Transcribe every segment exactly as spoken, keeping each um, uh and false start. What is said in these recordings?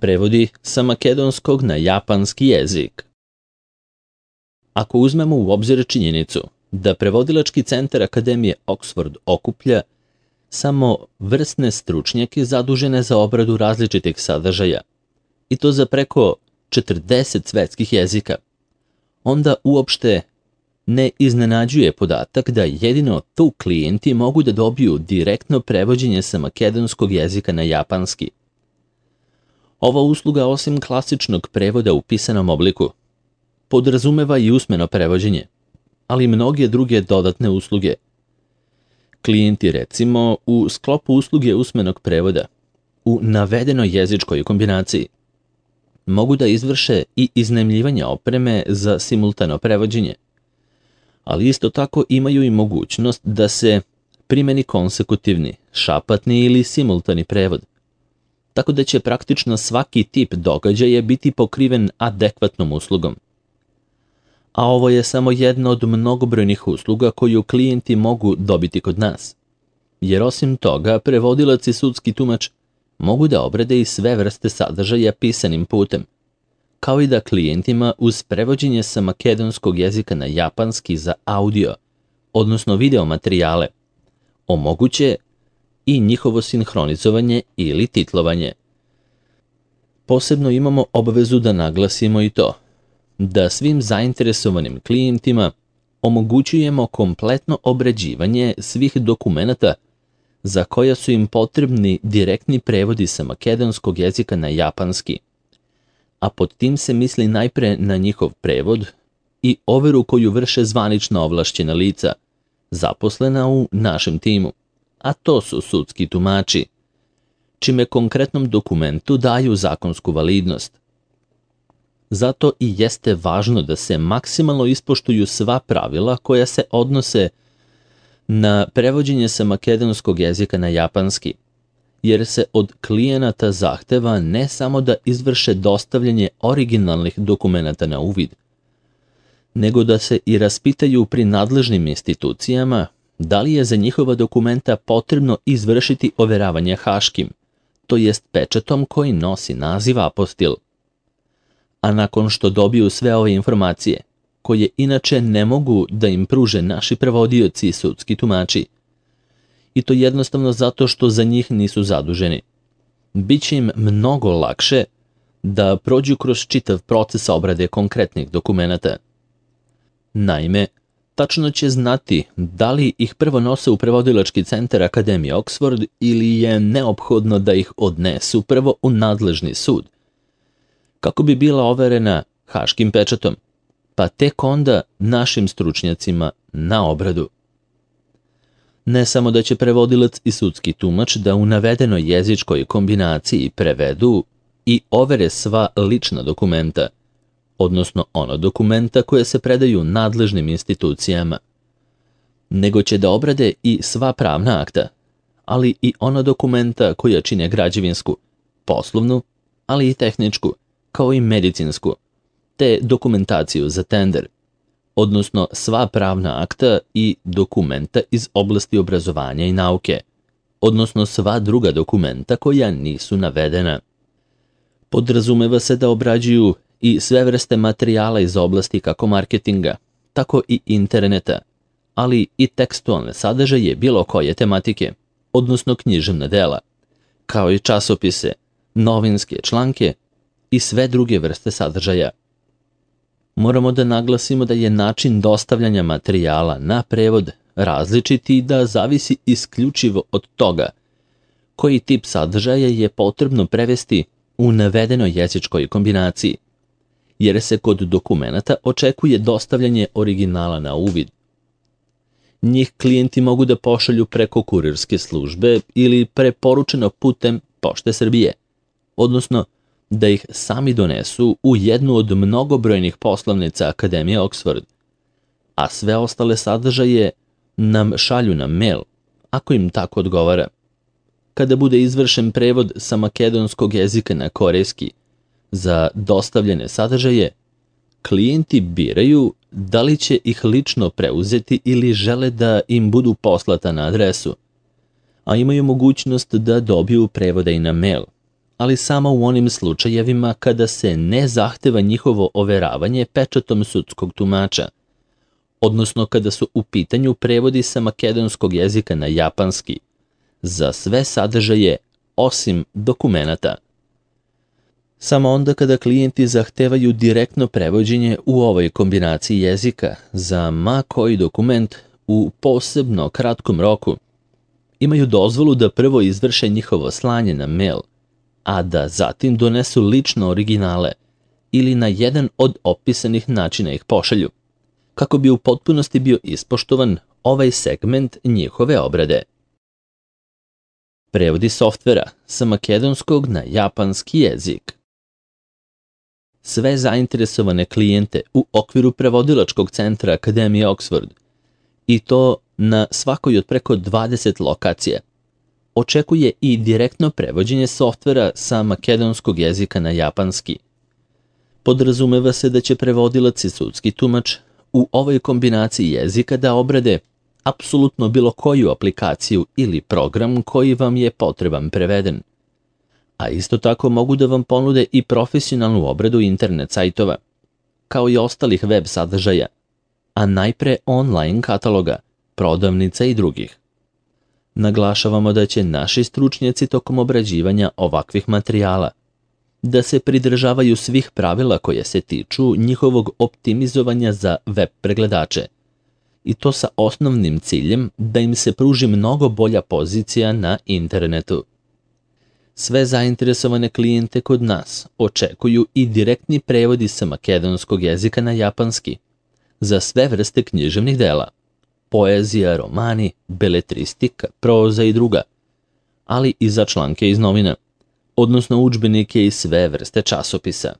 Prevodi sa makedonskog na japanski jezik. Ako uzmemo u obzir činjenicu da prevodilački centar Akademije Oxford okuplja samo vrsne stručnjake zadužene za obradu različitih sadržaja, i to za preko četrdeset svetskih jezika, onda uopšte ne iznenađuje podatak da jedino tu klijenti mogu da dobiju direktno prevođenje sa makedonskog jezika na japanski. Ova usluga, osim klasičnog prevoda u pisanom obliku, podrazumeva i usmeno prevođenje, ali i mnoge druge dodatne usluge. Klijenti, recimo, u sklopu usluge usmenog prevoda, u navedenoj jezičkoj kombinaciji, mogu da izvrše i iznajmljivanje opreme za simultano prevođenje, ali isto tako imaju i mogućnost da se primeni konsekutivni, šapatni ili simultani prevod, tako da će praktično svaki tip događaja biti pokriven adekvatnom uslugom. A ovo je samo jedna od mnogobrojnih usluga koju klijenti mogu dobiti kod nas, jer osim toga prevodilac i sudski tumač mogu da obrade i sve vrste sadržaja pisanim putem, kao i da klijentima uz prevođenje sa makedonskog jezika na japanski za audio, odnosno video materijale, omoguće i njihovo sinhronizovanje ili titlovanje. Posebno imamo obavezu da naglasimo i to, da svim zainteresovanim klijentima omogućujemo kompletno obrađivanje svih dokumenata za koja su im potrebni direktni prevodi sa makedonskog jezika na japanski, a pod tim se misli najpre na njihov prevod i overu koju vrše zvanična ovlašćena lica, zaposlena u našem timu, a to su sudski tumači, čime konkretnom dokumentu daju zakonsku validnost. Zato i jeste važno da se maksimalno ispoštuju sva pravila koja se odnose na prevođenje sa makedonskog jezika na japanski, jer se od klijenata zahteva ne samo da izvrše dostavljanje originalnih dokumenata na uvid, nego da se i raspitaju pri nadležnim institucijama da li je za njihova dokumenta potrebno izvršiti overavanje haškim, to jest pečatom koji nosi naziv apostil. A nakon što dobiju sve ove informacije, koje inače ne mogu da im pruže naši prevodioci i sudski tumači, i to jednostavno zato što za njih nisu zaduženi, bit će im mnogo lakše da prođu kroz čitav proces obrade konkretnih dokumenata. Naime, tačno će znati da li ih prvo nose u prevodilački centar Akademije Oxford ili je neophodno da ih odnesu prvo u nadležni sud, kako bi bila overena haškim pečatom, pa tek onda našim stručnjacima na obradu. Ne samo da će prevodilac i sudski tumač da u navedenoj jezičkoj kombinaciji prevedu i overe sva lična dokumenta, odnosno ono dokumenta koje se predaju nadležnim institucijama, nego će da obrade i sva pravna akta, ali i ona dokumenta koja čine građevinsku, poslovnu, ali i tehničku, kao i medicinsku, te dokumentaciju za tender, odnosno sva pravna akta i dokumenta iz oblasti obrazovanja i nauke, odnosno sva druga dokumenta koja nisu navedena. Podrazumeva se da obrađuju i sve vrste materijala iz oblasti kako marketinga, tako i interneta, ali i tekstualne sadržaje bilo koje tematike, odnosno književna dela, kao i časopise, novinske članke i sve druge vrste sadržaja. Moramo da naglasimo da je način dostavljanja materijala na prevod različit i da zavisi isključivo od toga koji tip sadržaja je potrebno prevesti u navedenoj jezičkoj kombinaciji, jer se kod dokumenata očekuje dostavljanje originala na uvid. Njih klijenti mogu da pošalju preko kurirske službe ili preporučeno putem Pošte Srbije, odnosno da ih sami donesu u jednu od mnogobrojnih poslovnica Akademije Oxford, a sve ostale sadržaje nam šalju na mail, ako im tako odgovara. Kada bude izvršen prevod sa makedonskog jezika na korejski za dostavljene sadržaje, klijenti biraju da li će ih lično preuzeti ili žele da im budu poslata na adresu, a imaju mogućnost da dobiju prevode i na mail, ali samo u onim slučajevima kada se ne zahteva njihovo overavanje pečatom sudskog tumača, odnosno kada su u pitanju prevodi sa makedonskog jezika na japanski, za sve sadržaje osim dokumenata. Samo onda kada klijenti zahtevaju direktno prevođenje u ovoj kombinaciji jezika za ma koji dokument u posebno kratkom roku, imaju dozvolu da prvo izvrše njihovo slanje na mail, a da zatim donesu lično originale ili na jedan od opisanih načina ih pošalju, kako bi u potpunosti bio ispoštovan ovaj segment njihove obrade. Prevodi softvera sa makedonskog na japanski jezik. Sve zainteresovane klijente u okviru prevodilačkog centra Akademije Oxford, i to na svakoj od preko dvadeset lokacija, očekuje i direktno prevođenje softvera sa makedonskog jezika na japanski. Podrazumeva se da će prevodilac i sudski tumač u ovoj kombinaciji jezika da obrade apsolutno bilo koju aplikaciju ili program koji vam je potreban preveden. A isto tako mogu da vam ponude i profesionalnu obradu internet sajtova, kao i ostalih web sadržaja, a najpre online kataloga, prodavnica i drugih. Naglašavamo da će naši stručnjaci tokom obrađivanja ovakvih materijala da se pridržavaju svih pravila koje se tiču njihovog optimizovanja za web pregledače, i to sa osnovnim ciljem da im se pruži mnogo bolja pozicija na internetu. Sve zainteresovane klijente kod nas očekuju i direktni prevodi sa makedonskog jezika na japanski za sve vrste književnih dela, poezija, romani, beletristika, proza i druga, ali i za članke iz novina, odnosno udžbenike i sve vrste časopisa.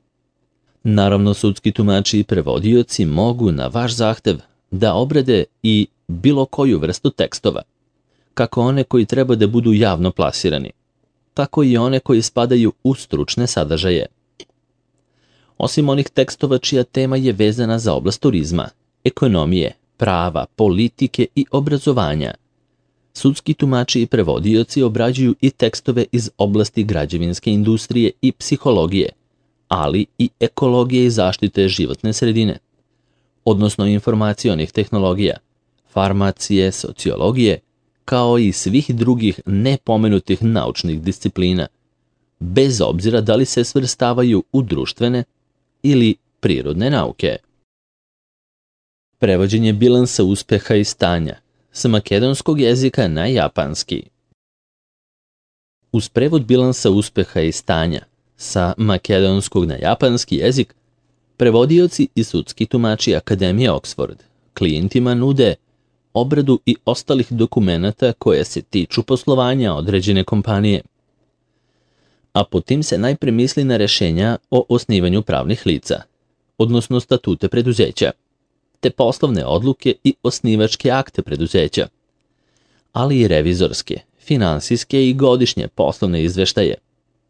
Naravno, sudski tumači i prevodioci mogu na vaš zahtev da obrade i bilo koju vrstu tekstova, kako one koji treba da budu javno plasirani, tako i one koji spadaju u stručne sadržaje. Osim onih tekstova čija tema je vezana za oblast turizma, ekonomije, prava, politike i obrazovanja, sudski tumači i prevodioci obrađuju i tekstove iz oblasti građevinske industrije i psihologije, ali i ekologije i zaštite životne sredine, odnosno informacionih tehnologija, farmacije, sociologije, kao i svih drugih nepomenutih naučnih disciplina, bez obzira da li se svrstavaju u društvene ili prirodne nauke. Prevođenje bilansa uspeha i stanja sa makedonskog jezika na japanski. Uz prevod bilansa uspeha i stanja sa makedonskog na japanski jezik, prevodioci i sudski tumači Akademije Oxford klijentima nude obradu i ostalih dokumenata koje se tiču poslovanja određene kompanije. A po tim se najpre misli na rešenja o osnivanju pravnih lica, odnosno statute preduzeća, te poslovne odluke i osnivačke akte preduzeća, ali i revizorske, finansijske i godišnje poslovne izveštaje,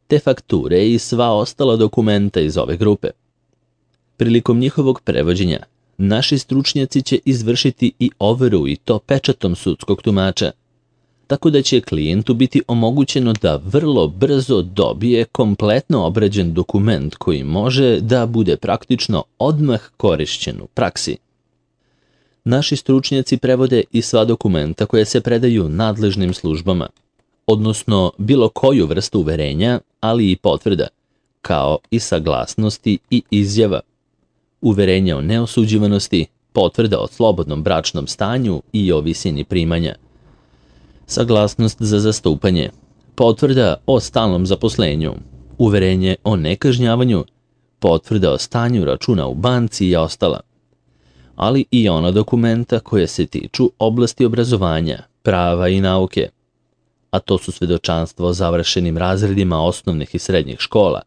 te fakture i sva ostala dokumenta iz ove grupe. Prilikom njihovog prevođenja, naši stručnjaci će izvršiti i overu i to pečatom sudskog tumača, tako da će klijentu biti omogućeno da vrlo brzo dobije kompletno obrađen dokument koji može da bude praktično odmah korišćen u praksi. Naši stručnjaci prevode i sva dokumenta koje se predaju nadležnim službama, odnosno bilo koju vrstu uverenja, ali i potvrda, kao i saglasnosti i izjava, uverenja o neosuđivanosti, potvrda o slobodnom bračnom stanju i o visini primanja, saglasnost za zastupanje, potvrda o stalnom zaposlenju, uverenje o nekažnjavanju, potvrda o stanju računa u banci i ostala, ali i ona dokumenta koje se tiču oblasti obrazovanja, prava i nauke, a to su svedočanstvo o završenim razredima osnovnih i srednjih škola,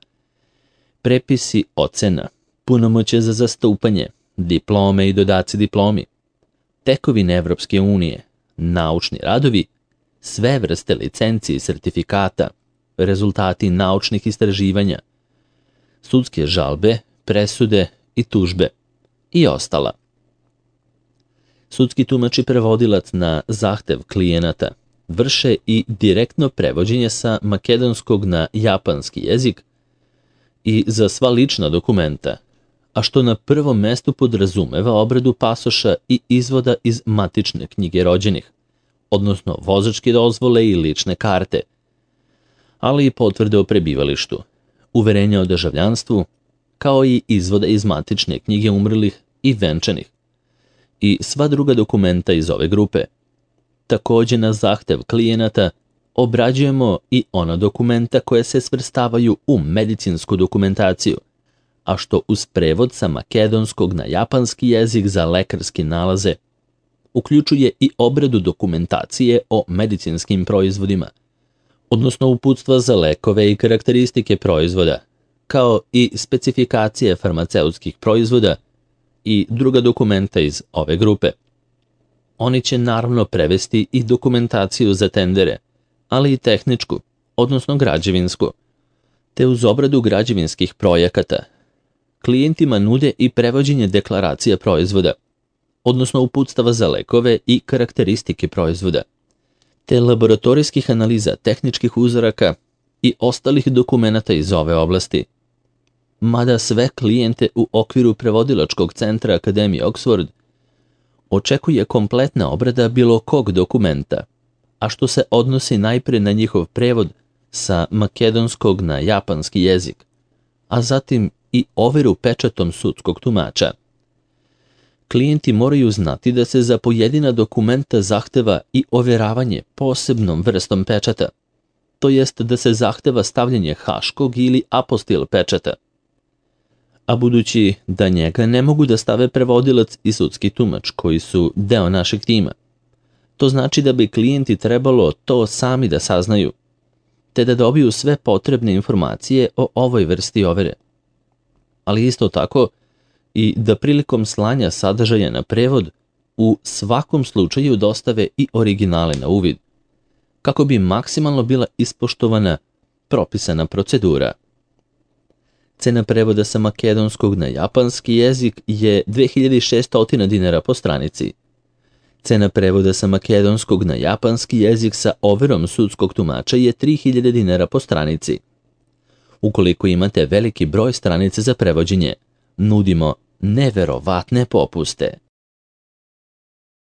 prepisi ocena, punomoćje za zastupanje, diplome i dodaci diplomi, tekovine Evropske unije, naučni radovi, sve vrste licenci i sertifikata, rezultati naučnih istraživanja, sudske žalbe, presude i tužbe i ostala. Sudski tumač i prevodilac na zahtev klijenata vrše i direktno prevođenje sa makedonskog na japanski jezik i za sva lična dokumenta, a što na prvom mestu podrazumeva obradu pasoša i izvoda iz matične knjige rođenih, odnosno vozačke dozvole i lične karte, ali i potvrde o prebivalištu, uverenja o državljanstvu, kao i izvoda iz matične knjige umrlih i venčanih, i sva druga dokumenta iz ove grupe. Takođe, na zahtev klijenata obrađujemo i ona dokumenta koje se svrstavaju u medicinsku dokumentaciju, a što uz prevod sa makedonskog na japanski jezik za lekarske nalaze uključuje i obradu dokumentacije o medicinskim proizvodima, odnosno uputstva za lekove i karakteristike proizvoda, kao i specifikacije farmaceutskih proizvoda i druga dokumenta iz ove grupe. Oni će naravno prevesti i dokumentaciju za tendere, ali i tehničku, odnosno građevinsku, te uz obradu građevinskih projekata. Klijentima nude i prevođenje deklaracija proizvoda, odnosno uputstava za lekove i karakteristike proizvoda, te laboratorijskih analiza tehničkih uzoraka i ostalih dokumenata iz ove oblasti. Mada sve klijente u okviru prevodilačkog centra Akademije Oxford očekuje kompletna obrada bilo kog dokumenta, a što se odnosi najpre na njihov prevod sa makedonskog na japanski jezik, a zatim i overu pečatom sudskog tumača. Klijenti moraju znati da se za pojedina dokumenta zahteva i overavanje posebnom vrstom pečata, to jest da se zahteva stavljanje haškog ili apostil pečata. A budući da njega ne mogu da stave prevodilac i sudski tumač koji su deo našeg tima, to znači da bi klijenti trebalo to sami da saznaju, te da dobiju sve potrebne informacije o ovoj vrsti overe. Ali isto tako i da prilikom slanja sadržaja na prevod u svakom slučaju dostave i originale na uvid, kako bi maksimalno bila ispoštovana propisana procedura. Cena prevoda sa makedonskog na japanski jezik je dve hiljade šessto dinara po stranici. Cena prevoda sa makedonskog na japanski jezik sa overom sudskog tumača je tri hiljade dinara po stranici. Ukoliko imate veliki broj stranica za prevođenje, nudimo neverovatne popuste.